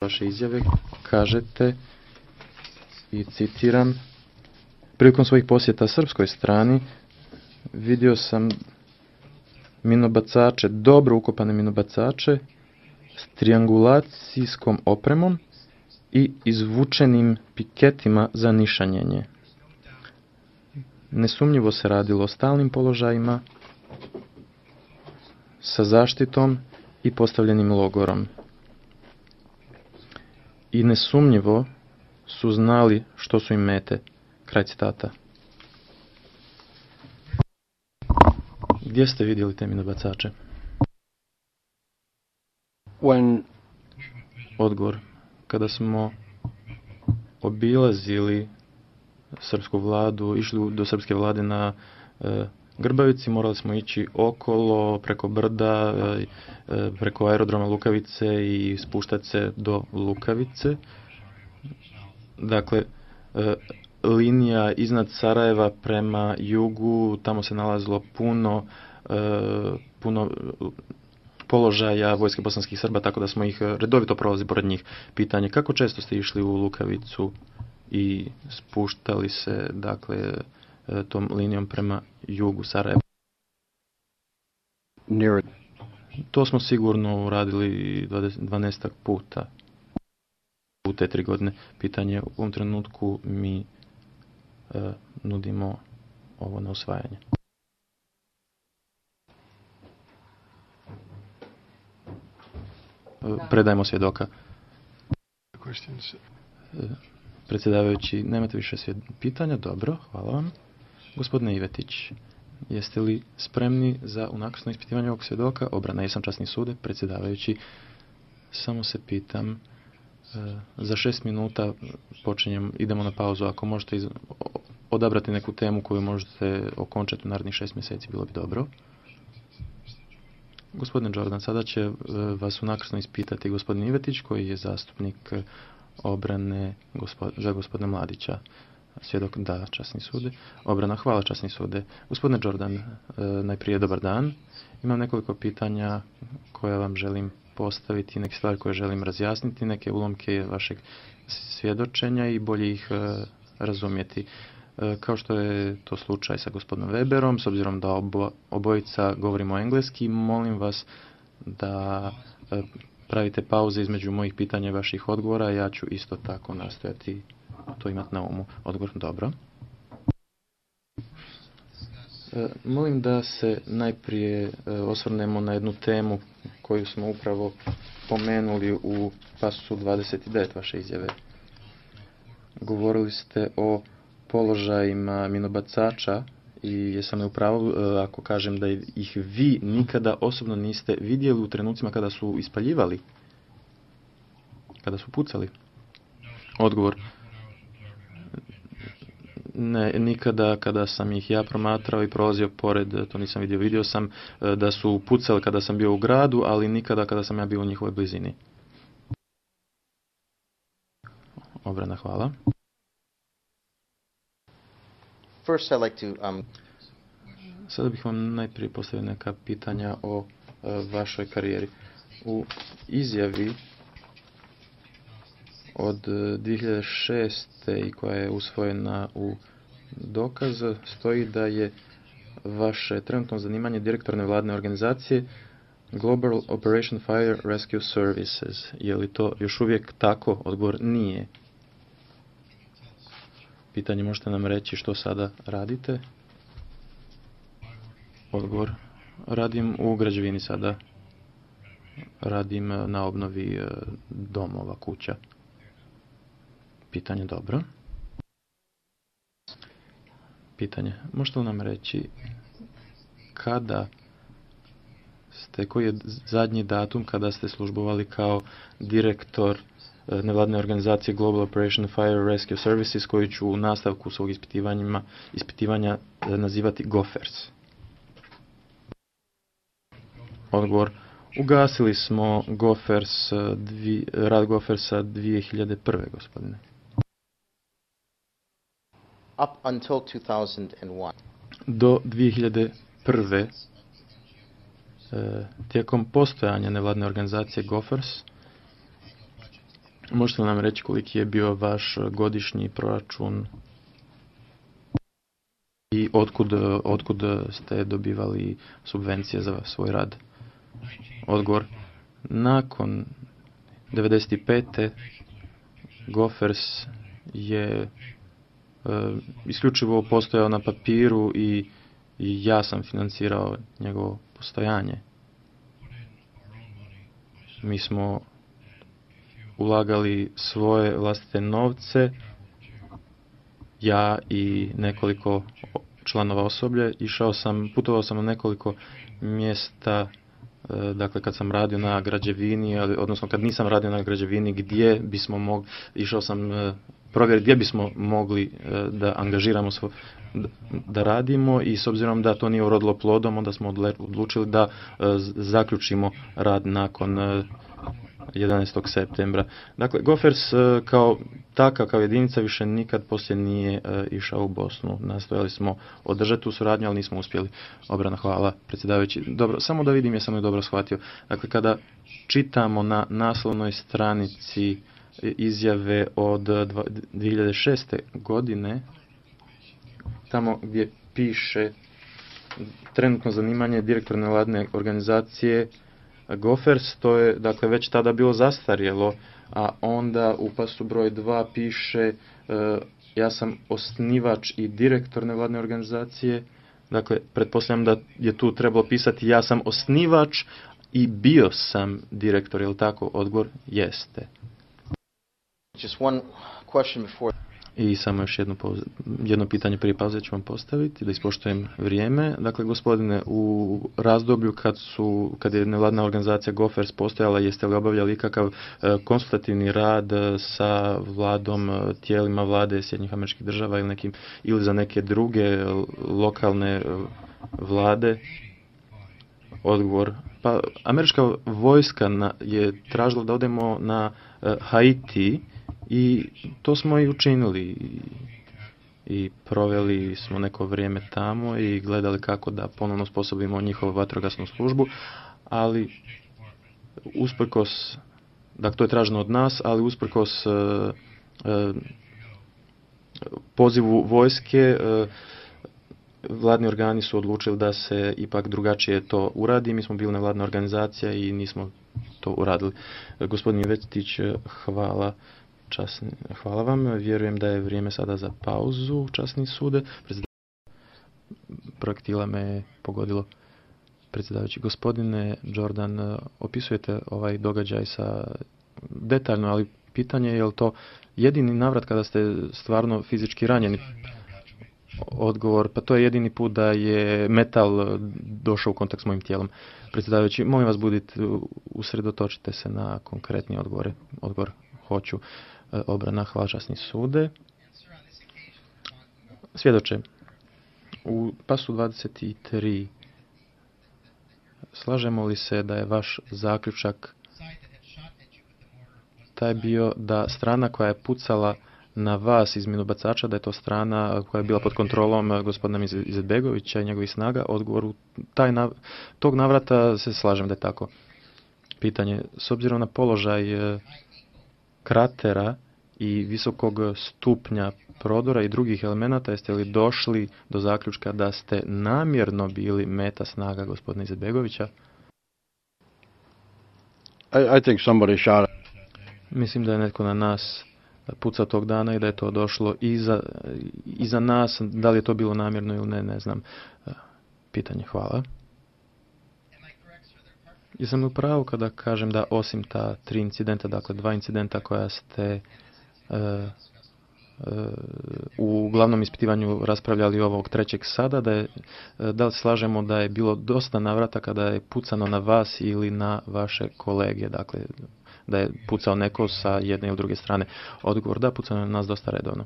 vaše izjave kažete i citiram: prilikom svojih posjeta srpskoj strani vidio sam minobacače, dobro ukopane minobacače s triangulacijskom opremom i izvučenim piketima za nišanjenje. Nesumnjivo se radilo o stalnim položajima sa zaštitom i postavljenim logorom. I nesumnjivo su znali što su im mete. Kraj citata. Gdje ste vidjeli te minobacače? Odgovor: kada smo obilazili srpsku vladu, išli do srpske vlade na Grbavici, morali smo ići okolo, preko brda, preko aerodroma Lukavice i spuštati se do Lukavice. Dakle, linija iznad Sarajeva prema jugu, tamo se nalazilo puno položaja vojske bosanskih Srba, tako da smo ih redovito prolazili pored njih. Pitanje: kako često ste išli u Lukavicu i spuštali se, dakle, tom linijom prema jugu Sarajeva? To smo sigurno uradili 12 puta u te 3 godine. Pitanje: u ovom trenutku mi nudimo ovo na usvajanje. Predajmo svjedoka. Predsjedavajući, nemate više pitanja? Dobro, hvala vam. Gospodine Ivetić, jeste li spremni za unakrsno ispitivanje ovog svjedoka? Obrana: jesam, časni sude. Predsjedavajući, samo se pitam, za 6 minuta idemo na pauzu. Ako možete odabrati neku temu koju možete okončati u narednih 6 mjeseci, bilo bi dobro. Gospodine Jordan, sada će vas unakrsno ispitati gospodin Ivetić, koji je zastupnik obrane za gospodina Mladića. Svjedok: da, časni sude. Obrana: hvala, časni sude. Gospodine Jordan, najprije dobar dan. Imam nekoliko pitanja koja vam želim postaviti, neke stvari koje želim razjasniti, neke ulomke vašeg svjedočenja i bolje ih razumjeti. Kao što je to slučaj sa gospodinom Weberom, s obzirom da obojica govorimo engleski, molim vas da pravite pauze između mojih pitanja i vaših odgovora. Ja ću isto tako nastojati to imati na umu. Odgovor: dobro. Molim da se najprije osvrnemo na jednu temu koju smo upravo pomenuli u pasusu 29 vaše izjave. Govorili ste o položajima minobacača i jesam li u pravu ako kažem da ih vi nikada osobno niste vidjeli u trenucima kada su ispaljivali, kada su pucali? Odgovor: ne, nikada kada sam ih ja promatrao i prolazio pored, to nisam vidio. Vidio sam da su pucali kada sam bio u gradu, ali nikada kada sam ja bio u njihovoj blizini. Obrana: hvala. Sada bih vam najprije postavio neka pitanja o vašoj karijeri. U izjavi od 2006. i koja je usvojena u dokaz stoji da je vaše trenutno zanimanje direktor nevladine organizacije Global Operation Fire Rescue Services. Je li to još uvijek tako? Odgovor: nije. Pitanje: možete nam reći što sada radite? Odgovor: radim u građevini sada. Radim na obnovi domova, kuća. Pitanje: dobro. Pitanje: možete li nam reći koji je zadnji datum kada ste službovali kao direktor nevladine organizacije Global Operation Fire Rescue Services, koju ću u nastavku svog ispitivanja nazivati GOFERS? Odgovor: ugasili smo rad GOFERS-a 2001. gospodine. Up until 2001. Do 2001. Tijekom postojanja nevladne organizacije GOFERS Možete li nam reći koliki je bio vaš godišnji proračun i otkud ste dobivali subvencije za svoj rad? Odgovor. Nakon 95. Gophers je isključivo postojao na papiru i ja sam financirao njegovo postojanje. Mi smo ulagali svoje vlastite novce, ja i nekoliko članova osoblja. Putovao sam na nekoliko mjesta, dakle kad sam radio na građevini, odnosno kad nisam radio na građevini, gdje bismo mogli, išao sam provjeriti gdje bismo mogli da angažiramo da radimo, i s obzirom da to nije urodilo plodom, onda smo odlučili da zaključimo rad nakon 11. septembra. Dakle, Gophers kao jedinica više nikad poslije nije išao u Bosnu. Nastojali smo održati tu suradnju, ali nismo uspjeli. Obrana, hvala, predsjedavajući. Dobro, samo da vidim, jesam li dobro shvatio. Dakle, kada čitamo na naslovnoj stranici izjave od 2006. godine, tamo gdje piše trenutno zanimanje direktor nevladine organizacije Gophers, to je dakle već tada bilo zastarjelo, a onda u pasu broj 2 piše ja sam osnivač i direktor nevladine organizacije. Dakle, pretpostavljam da je tu trebalo pisati ja sam osnivač i bio sam direktor, je li tako? Odgovor jeste. Just one question before. I samo još jedno pitanje prije pauze ću vam postaviti, da ispoštujem vrijeme. Dakle, gospodine, u razdoblju kad je nevladina organizacija Gophers postojala, jeste li obavljali ikakav konsultativni rad sa vladom, tijelima vlade Sjedinjenih Američkih Država ili za neke druge lokalne vlade? Odgovor. Pa, američka vojska je tražila da odemo na Haiti, i to smo i učinili i proveli smo neko vrijeme tamo i gledali kako da ponovno sposobimo njihovu vatrogasnu službu, ali usprkos, dakle to je traženo od nas, ali usprkos pozivu vojske, vladni organi su odlučili da se ipak drugačije to uradi. Mi smo bili nevladna organizacija i nismo to uradili. Gospodin Vetić, hvala vam. Vjerujem da je vrijeme sada za pauzu, časni sude. Projektila me je pogodilo. Predsjedavajući, gospodine Jordan, opisujete ovaj događaj detaljno, ali pitanje je li to jedini navrat kada ste stvarno fizički ranjeni? Odgovor, pa to je jedini put da je metal došao u kontakt s mojim tijelom. Predsjedavajući, molim vas, usredotočite se na konkretni odgovore. Odgovor hoću. Obrana, hvala, časni sude. Svjedoče, u pasu 23 slažemo li se da je vaš zaključak taj bio da strana koja je pucala na vas iz minobacača, da je to strana koja je bila pod kontrolom gospodina Izetbegovića i njegovih snaga? Odgovor, tog navrata se slažem da je tako. Pitanje, s obzirom na položaj kratera i visokog stupnja prodora i drugih elemenata, jeste li došli do zaključka da ste namjerno bili meta snaga gospodina Izetbegovića? I think somebody shot. Mislim da je netko na nas pucao tog dana i da je to došlo iza nas. Da li je to bilo namjerno ili ne, ne znam. Pitanje, hvala. Jesam li u pravu kada kažem da osim ta 3 incidenta, dakle 2 incidenta koja ste u glavnom ispitivanju raspravljali ovog trećeg sada, da li slažemo da je bilo dosta navrata kada je pucano na vas ili na vaše kolege, dakle da je pucao neko sa jedne ili druge strane? Odgovor, da, pucano je na nas dosta redovno.